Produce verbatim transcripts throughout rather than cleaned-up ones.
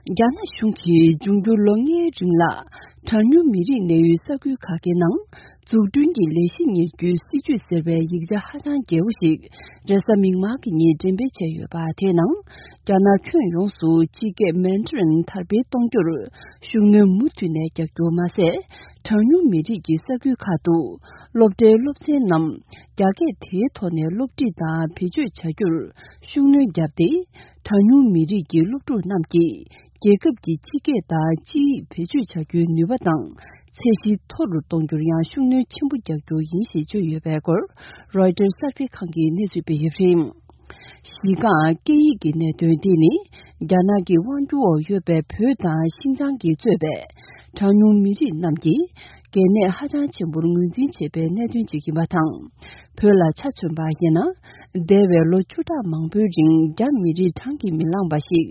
རྒྱ་ནག་གཞུང་གིས་འབྱུང་འགྱུར་ལོ་ལྔའི་རིང་ལ་གྲངས་ཉུང་མི་རིགས་གནས་ཡུལ་ས་ཁུལ་ཁག་གི་ནང་འཛུགས་སྐྲུན་གྱི་ལས་གཞི་གཉེར་རྒྱུའི་སྲིད་ཇུས་ཟེར་བའི་ཡིག་ཆ་ཧ་ཅང་རྒྱས་པོ་ཞིག་རེས་གཟའ་མིག་དམར་གྱི་ཉིན་འགྲེམས་སྤེལ་བྱས་ཡོད་པ་དེའི་ནང་། རྒྱ་ནག་ཁྱོན་ཡོངས་སུ་སྤྱི་སྐད་མན་ཌ་རིན་དར་སྤེལ་གཏོང་རྒྱུར་ཤུགས་སྣོན་མུ་མཐུད་ནས་རྒྱག་རྒྱུ་མ་ཟད། གྲངས་ཉུང་མི་རིགས་ཀྱི་ས་ཁུལ་ཁག་ཏུ་སློབ་གྲྭའི་སློབ་ཚན་རྣམས་རྒྱ་སྐད་དེའི་ཐོག་ནས་སློབ་ཁྲིད་དང་བེད་སྤྱོད་བྱ་རྒྱུར་ཤུགས་སྣོན་བརྒྱབ་སྟེ། གྲངས་ཉུང་མི་རིགས་ཀྱི་སློབ་ཕྲུག་རྣམས་ཀྱིས་རྒྱལ་ཁབ་ཀྱི་སྤྱི་སྐད་དང་སྤྱི་ཡིག་བེད་སྤྱོད་བྱ་རྒྱུའི་ནུས་པ་དང་ཚད་གཞི་མཐོ་རུ་གཏོང་རྒྱུར་ཡང་ཤུགས་སྣོན་ཆེན་པོ་རྒྱག་རྒྱུ་ཡིན་ཞེས་བརྗོད་ཡོད་པའི་སྐོར། རོའི་ཊར་གསར་སྤེལ་ཁང་གིས་གནས་ཚུལ་སྤེལ་ཡོད་པ་རེད། གཞི་རྐང་སྐད་ཡིག་གི་གནད་དོན་འདི་ནི། རྒྱ་ནག་གི་དབང་སྒྱུར་འོག་ཡོད་པའི་བོད་དང་ཤིན་ཅང་གིས་གཙོས་པའི་གྲངས་ཉུང་མི་རིགས་རྣམས་ཀྱི་གལ་གནད་ཧ་ཅང་ཆེན་པོར་ངོས་འཛིན་བྱེད་པའི་གནད་དོན་ཅིག་ཡིན་པ་དང་། བོད་ལ་ཆ་མཚོན་པ་ཡིན་ན། འདས་པའི་ལོ་བཅུ་ཕྲག་མང་པོའི་རིང་རྒྱ་མི་རིགས་གྲངས་ཀྱིས་མི་ལངས་པ་ཞིག་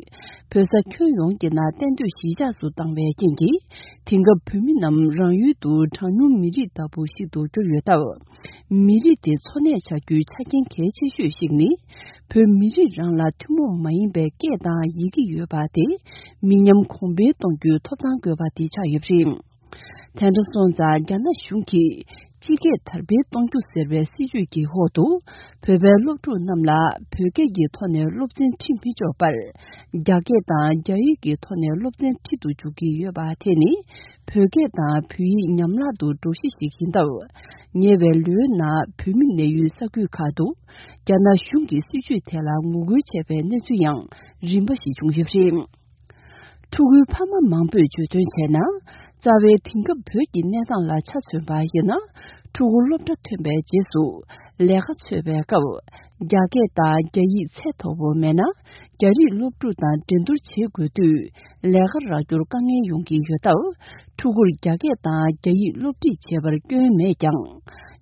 བོད་ས་ཁྱོན་ཡོངས་ཀྱི་ནང་གཏན་སྡོད་གཞིས་ཆགས་སུ་བཏང་བའི་རྐྱེན་གྱིས། དེང་སྐབས་བོད་མི་རྣམས་རང་ཡུལ་དུ་གྲངས་ཉུང་མི་རིགས་ལྟ་བུ་ཞིག་ཏུ་གྱུར་ཡོད་སྟབས། མི་རིགས་དེ་འཚོ་གནས་བྱ་རྒྱུའི་ཆ་རྐྱེན་གལ་ཆེ་ཤོས་ཤིག་ནི། བོད་མི་རིགས་རང་ལ་ཐུན་མོང་མ་ཡིན་པའི་སྐད་དང་ཡི་གེ་ཡོད་པ་དེ་མི་ཉམས་གོང་འཕེལ་གཏོང་རྒྱུའི་ཐོབ་ཐང་དགོས་པ་དེ་ཆགས་ཡོད་པ་རེད། དེ་འདྲ་སོང་ཙང་རྒྱ་ནག་གཞུང་གིས་སྤྱི་སྐད་དར་སྤེལ་གཏོང་རྒྱུ་ཟེར་བའི་སྲིད་ཇུས་ཀྱི་འོག་ཏུ། བོད་པའི་སློབ་ཕྲུག་རྣམས་ལ་བོད་སྐད་ཀྱི་ཐོག་ནས་སློབ་ཚན་ཁྲིད་མི་ཆོག་པར། རྒྱ་སྐད་དང་རྒྱ་ཡིག་གི་ཐོག་ནས་སློབ་ཚན་ཁྲིད་དུ་འཇུག་གི་ཡོད་པ་དེ་ནི། བོད་སྐད་དང་བོད་ཡིག་ཉམས་བརླག་ཏུ་འགྲོ་གཞི་ཞིག་ཡིན་སྟབས། ཉེ་བའི་ལོའི་ནང་བོད་མི་གནས་ཡུལ་ས་ཁུལ་ཁག་ཏུ། རྒྱ་ནག་གཞུང་གི་སྲིད་ཇུས་དེ་ལ་ངོ་རྒོལ་བྱས་པའི་གནས་ཚུལ་ཡང་རིམ་པ་ཞིག་བྱུང་ཡོད་པ་རེད། ཕྲུ་གུའི་ཕ་མ་མང་པོས་བརྗོད་དོན་བྱས་ན། རྩ་བའི་དེང་སྐབས་བོད་ཀྱི་གནས་སྟངས་ལ་ཆ་མཚོན་པ་ཡིན་ན། ཕྲུ་གུ་སློབ་གྲྭ་ཐོན་པའི་རྗེས་སུ་ལས་ཀ་འཚོལ་བའི་སྐབས། རྒྱ་སྐད་དང་རྒྱ་ཡིག་ཚད་མཐོ་པོ་མེད་ན། རྒྱ་རིགས་སློབ་ཕྲུག་དང་འགྲན་བསྡུར་བྱེད་དགོས་དུས། ལས་ཀ་རག་རྒྱུར་དཀའ་ངལ་ཡོང་གི་ཡོད་སྟབས། ཕྲུ་གུར་རྒྱ་སྐད་དང་རྒྱ་ཡིག་སློབ་ཁྲིད་བྱེད་པར་སྐྱོན་མེད་ཀྱང་།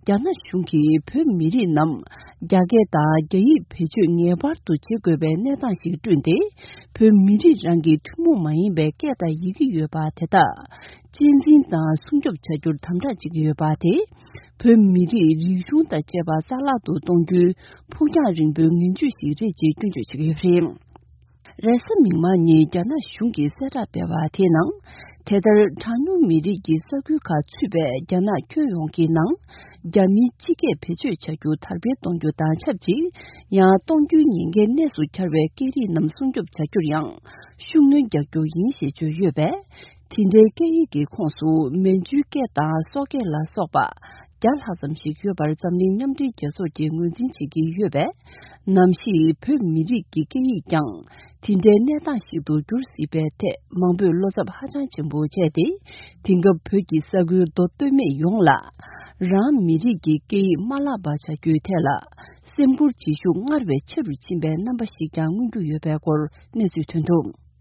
རྒྱ་ནག་གཞུང་གིས་བོད་མི་རིགས་རྣམས་རྒྱ་སྐད་དང་རྒྱ་ཡིག་བེད་སྤྱོད་ངེས་པར་དུ་བྱེད་དགོས་པའི་གནས་སྟངས་ཤིག་བསྐྲུན་ཏེ། བོད་མི་རིགས་རང་གི་ཐུན་མོང་མ་ཡིན་པའི་སྐད་དང་ཡི་གེ་ཡོད་པ་དེ་དག་གཅེས་འཛིན་དང་སྲུང་སྐྱོབ་བྱ་རྒྱུར་དམ་དྲག་བྱེད་ཀྱི་ཡོད་པ་དེ། བོད་མི་རིགས་རིག་གཞུང་དང་བཅས་པ་རྩ་བརླག་ཏུ་གཏོང་རྒྱུའི་ཕུགས་རྒྱང་རིང་པོའི་ངན་ཇུས་ཤིག་རེད་ཅེས་སྐྱོན་བརྗོད་བྱེད་ཀྱི་ཡོད་པ་རེད། རེས་གཟའ་མིག་དམར་ཉིན་རྒྱ་ནག་གཞུང་གིས་གསལ་བསྒྲགས་སྤེལ་བ་དེའི་ནང་། དེ་ལྟར་གྲངས་ཉུང་མི་རིགས་ཀྱི་ས་ཁུལ་ཁག་ཚུད་པའི་རྒྱ་ནག་ཁྱོན་ཡོངས་ཀྱི་ནང་། རྒྱ་མིའི་སྤྱི་སྐད་བེད་སྤྱོད་བྱ་རྒྱུ་དར་སྤེལ་གཏོང་རྒྱུ་དང་ཆབས་ཅིག། ཡང་གཏོང་རྒྱུའི་ཉེན་ཁའི་གནས་སུ་གྱར་བའི་སྐད་རིགས་རྣམས་སྲུང་སྐྱོབ་བྱ་རྒྱུར་ཡང་ཤུགས་སྣོན་རྒྱག་རྒྱུ་ཡིན་ཞེས་བརྗོད་ཡོད་པས། དེ་འདྲའི་སྐད་ཡིག་གི་ཁོངས་སུ་མན་ཇུའི་སྐད་དང་སོག་སྐད་ལ་སོགས་པ་བརྒྱ་ལྷག་ཙམ་ཞིག་ཡོད་པར་འཛམ་གླིང་མཉམ་འབྲེལ་རྒྱལ་ཚོགས་ཀྱིས་ངོས་འཛིན་བྱེད་ཀྱི་ཡོད་པས། ནམ་ཞིག་བོད་མི་རིགས་ཀྱི་སྐད་ཡིག་ཀྱང་དེ་འདྲའི་གནས་སྟངས་ཤིག་ཏུ་འགྱུར་སྲིད་པའི་ཐད་མང་པོས་བློ་འཚབ་ཧ་ཅང་ཆེན་པོ་བྱས་ཏེ། དེང་སྐབས་བོད་ཀྱི་ས་ཁུལ་མདོ་སྟོད་སྨད་ཡོངས་ལ་རང་མི་རིགས་ཀྱི་སྐད་ཡིག་མ་བརླག་པ་བྱ་རྒྱུའི་ཐད་ལ་སེམས་ཁུར་བྱེད་ཤུགས་སྔར་བས་ཆེ་རུ་ཕྱིན་པའི་རྣམ་པ་ཞིག་ཀྱང་མངོན་རྒྱུ་ཡོད་པའི་སྐོར་གནས་ཚུལ་ཐོན་འདུག།